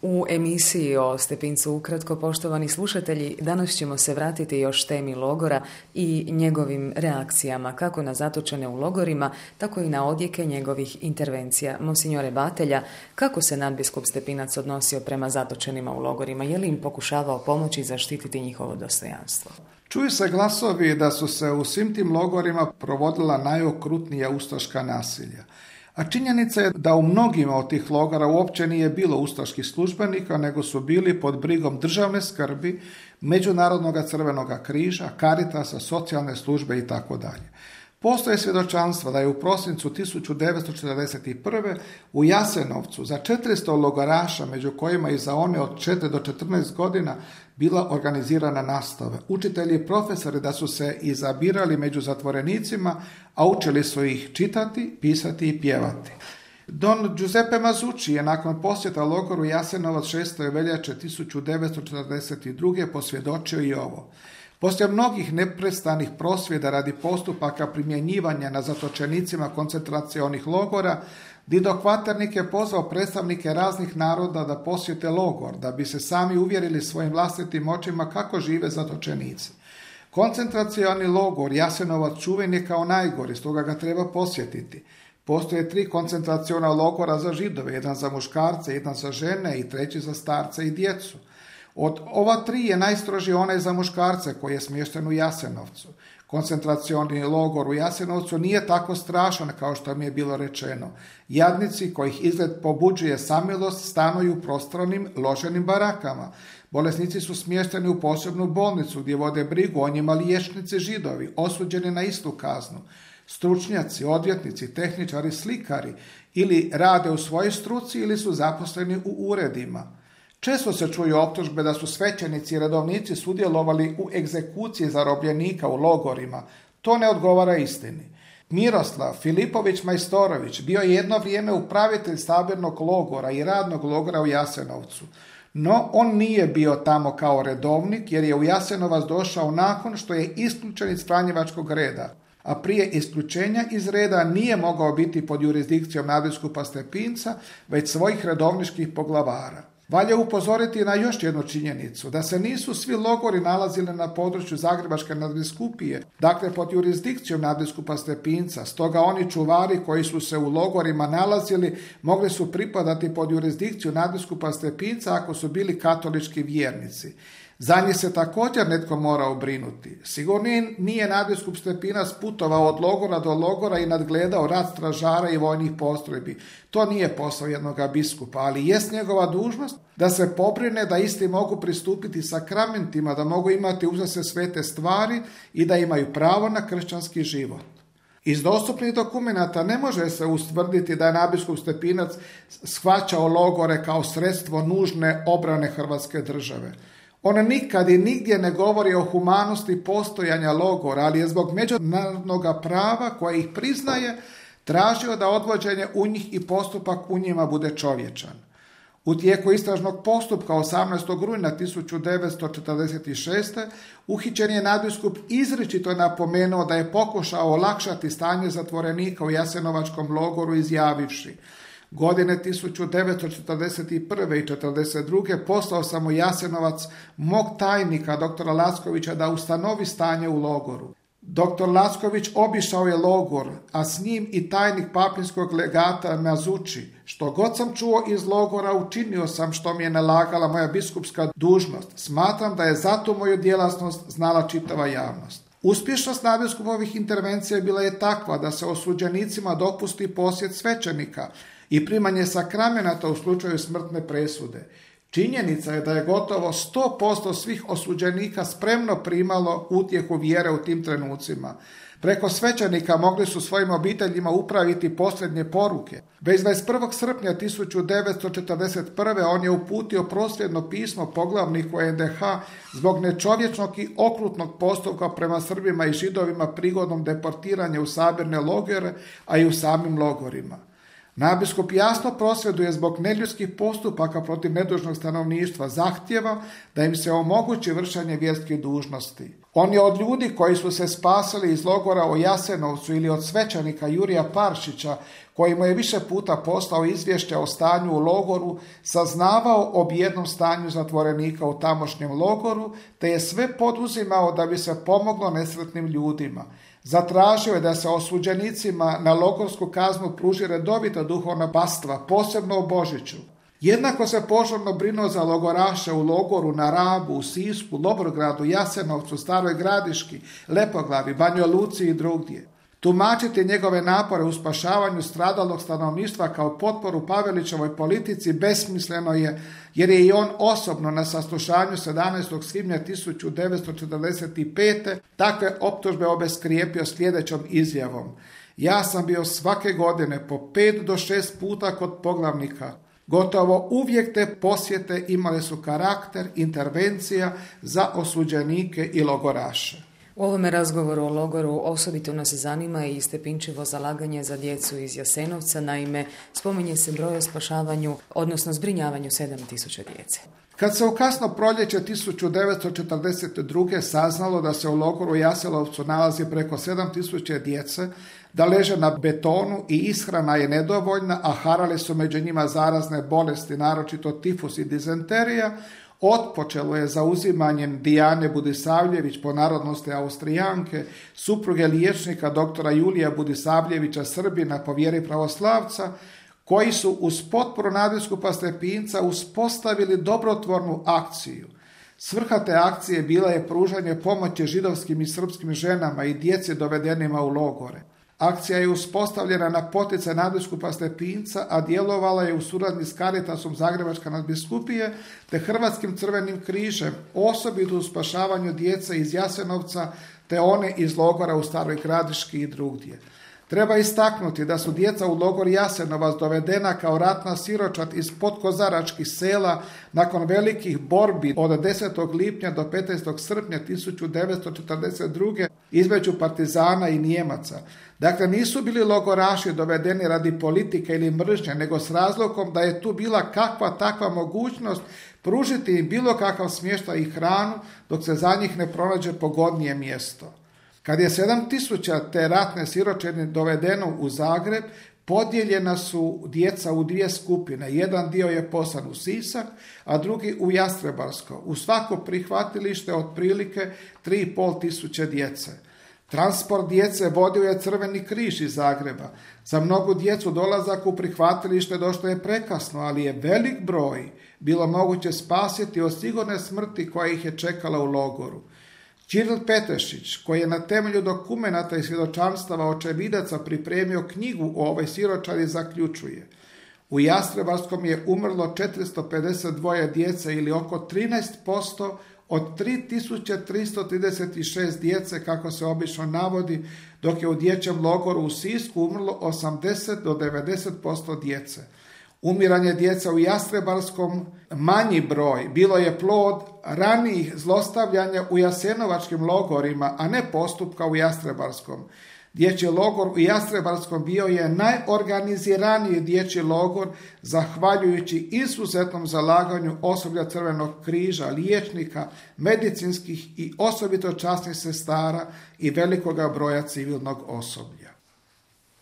U emisiji o Stepincu ukratko, poštovani slušatelji, danas ćemo se vratiti još temi logora i njegovim reakcijama, kako na zatočene u logorima, tako i na odjeke njegovih intervencija. Monsignore Batelja, kako se nadbiskup Stepinac odnosio prema zatočenima u logorima? Je li im pokušavao pomoći i zaštititi njihovo dostojanstvo? Čuju se glasovi da su se u svim tim logorima provodila najokrutnija ustaška nasilja. A činjenica je da u mnogima od tih logora uopće nije bilo ustaških službenika, nego su bili pod brigom državne skrbi, Međunarodnog crvenog križa, Caritasa, socijalne službe itd. Postoje svjedočanstva da je u prosincu 1941. u Jasenovcu za 400 logoraša, među kojima i za one od 4 do 14 godina, bila organizirana nastava. Učitelji i profesori da su se izabirali među zatvorenicima, a učili su ih čitati, pisati i pjevati. Don Giuseppe Mazzucci je nakon posjeta logoru Jasenovac 6. veljače 1942. posvjedočio i ovo. Poslije mnogih neprestanih prosvjeda radi postupaka primjenjivanja na zatočenicima koncentracionih logora, Dido Kvaternik je pozvao predstavnike raznih naroda da posjete logor, da bi se sami uvjerili svojim vlastitim očima kako žive zatočenici. Koncentracioni logor Jasenovac čuven je kao najgori, stoga ga treba posjetiti. Postoje 3 koncentraciona logora za Židove, jedan za muškarce, jedan za žene i 3 za starce i djecu. Od ova 3 je najstrožiji onaj za muškarce koji je smješten u Jasenovcu. Koncentracioni logor u Jasenovcu nije tako strašan kao što mi je bilo rečeno. Jadnici kojih izgled pobuđuje samilost stanuju u prostranim loženim barakama. Bolesnici su smješteni u posebnu bolnicu gdje vode brigu o njima liječnici Židovi, osuđeni na istu kaznu. Stručnjaci, odvjetnici, tehničari, slikari ili rade u svojoj struci ili su zaposleni u uredima. Često se čuju optužbe da su svećenici i redovnici sudjelovali u egzekuciji zarobljenika u logorima. To ne odgovara istini. Miroslav Filipović Majstorović bio je jedno vrijeme upravitelj sabirnog logora i radnog logora u Jasenovcu. No, on nije bio tamo kao redovnik jer je u Jasenovac došao nakon što je isključen iz Franjevačkog reda. A prije isključenja iz reda nije mogao biti pod jurisdikcijom nadbiskupa Stepinca, već svojih redovničkih poglavara. Valja upozoriti na još jednu činjenicu, da se nisu svi logori nalazili na području Zagrebačke nadbiskupije, dakle pod jurisdikcijom nadbiskupa Stepinca, stoga oni čuvari koji su se u logorima nalazili mogli su pripadati pod jurisdikciju nadbiskupa Stepinca ako su bili katolički vjernici. Za njih se također netko morao brinuti. Sigurno nije nadbiskup Stepinac putovao od logora do logora i nadgledao rad stražara i vojnih postrojbi. To nije posao jednog biskupa, ali jest njegova dužnost da se pobrine da isti mogu pristupiti sakramentima, da mogu imati uza se svete stvari i da imaju pravo na kršćanski život. Iz dostupnih dokumenata ne može se ustvrditi da je nadbiskup Stepinac shvaćao logore kao sredstvo nužne obrane Hrvatske države. On nikad i nigdje ne govori o humanosti postojanja logora, ali je zbog međunarodnog prava koje ih priznaje tražio da odvođenje u njih i postupak u njima bude čovječan. U tijeku istražnog postupka 18. rujna 1946. uhićen je nadbiskup izričito napomenuo da je pokušao olakšati stanje zatvorenika u Jasenovačkom logoru izjavivši: godine 1941. i 1942. poslao sam u Jasenovac mog tajnika, doktora Lackovića, da ustanovi stanje u logoru. Doktor Lacković obišao je logor, a s njim i tajnik papinskog legata Mazzucci. Što god sam čuo iz logora, učinio sam što mi je nalagala moja biskupska dužnost. Smatram da je zato moju djelatnost znala čitava javnost. Uspješnost nadbiskupovih intervencija bila je takva da se osuđenicima dopusti posjet svećenika i primanje sakramenata u slučaju smrtne presude. Činjenica je da je gotovo 100% svih osuđenika spremno primalo utjehu vjere u tim trenucima. Preko svećenika mogli su svojim obiteljima upraviti posljednje poruke. Već 21. srpnja 1941. on je uputio prosvjedno pismo poglavniku NDH zbog nečovječnog i okrutnog postupka prema Srbima i Židovima prigodom deportiranja u sabirne logore, a i u samim logorima. Nadbiskup jasno prosvjeduje zbog neljudskih postupaka protiv nedužnog stanovništva, zahtjeva da im se omogući vršenje vjerskih dužnosti. On je od ljudi koji su se spasili iz logora u Jasenovcu ili od svećenika Jurija Paršića, koji mu je više puta poslao izvješće o stanju u logoru, saznavao o bijednom stanju zatvorenika u tamošnjem logoru, te je sve poduzimao da bi se pomoglo nesretnim ljudima. Zatražio je da se osuđenicima na logorsku kaznu pruži redovita duhovna pastva, posebno u Božiću. Jednako se požurno brinuo za logoraše u logoru na Rabu, u Sisku, Dobrogradu, Jasenovcu, Staroj Gradiški, Lepoglavi, Banjoj Luci i drugdje. Tumačiti njegove napore u spašavanju stradalog stanovništva kao potporu Pavelićevoj politici besmisleno je, jer je i on osobno na saslušanju 17. svibnja 1945. takve optužbe obeskrijepio sljedećom izjavom: ja sam bio svake godine po 5 do 6 puta kod poglavnika. Gotovo uvijek te posjete imale su karakter intervencija za osuđenike i logoraše. U ovome razgovoru o logoru osobito nas zanima i Stepinčevo zalaganje za djecu iz Jasenovca, naime spominje se broj o spašavanju, odnosno zbrinjavanju 7000 djece. Kad se u kasno proljeće 1942. saznalo da se u logoru Jasenovcu nalazi preko 7000 djece, da leže na betonu i ishrana je nedovoljna, a harale su među njima zarazne bolesti, naročito tifus i dizenterija, otpočelo je zauzimanjem Dijane Budisavljević, po narodnosti Austrijanke, supruge liječnika doktora Julija Budisavljevića, Srbina, po vjeri pravoslavca, koji su uz potporu nadbiskupa Stepinca uspostavili dobrotvornu akciju. Svrha te akcije bila je pružanje pomoći židovskim i srpskim ženama i djeci dovedenima u logore. Akcija je uspostavljena na poticaj nadbiskupa Stepinca, a djelovala je u suradnji s Caritasom Zagrebačke nadbiskupije te Hrvatskim crvenim križem, osobito u spašavanju djece iz Jasenovca te one iz logora u Staroj Gradiški i drugdje. Treba istaknuti da su djeca u logor Jasenovac dovedena kao ratna siročad iz podkozaračkih sela nakon velikih borbi od 10. lipnja do 15. srpnja 1942. između partizana i Nijemaca. Dakle, nisu bili logoraši dovedeni radi politike ili mržnje, nego s razlogom da je tu bila kakva takva mogućnost pružiti im bilo kakav smještaj i hranu dok se za njih ne pronađe pogodnije mjesto. Kad je 7000 te ratne siročine dovedeno u Zagreb, podijeljena su djeca u 2 skupine. Jedan dio je poslan u Sisak, a drugi u Jastrebarsko. U svako prihvatilište otprilike 3500 djece. Transport djece vodio je Crveni križ iz Zagreba. Za mnogu djecu dolazak u prihvatilište došlo je prekasno, ali je velik broj bilo moguće spasiti od sigurne smrti koja ih je čekala u logoru. Ćiril Petešić, koji je na temelju dokumenata i svjedočanstava očevidaca pripremio knjigu o ovoj siročadi, zaključuje: u Jastrebarskom je umrlo 452 djece ili oko 13% od 3336 djece, kako se obično navodi, dok je u dječjem logoru u Sisku umrlo 80 do 90% djece. Umiranje djece u Jastrebarskom, manji broj, bilo je plod ranijih zlostavljanja u jasenovačkim logorima, a ne postupka u Jastrebarskom. Dječji logor u Jastrebarskom bio je najorganiziraniji dječji logor, zahvaljujući izuzetnom zalaganju osoblja Crvenog križa, liječnika, medicinskih i osobito časnih sestara i velikoga broja civilnog osoblja.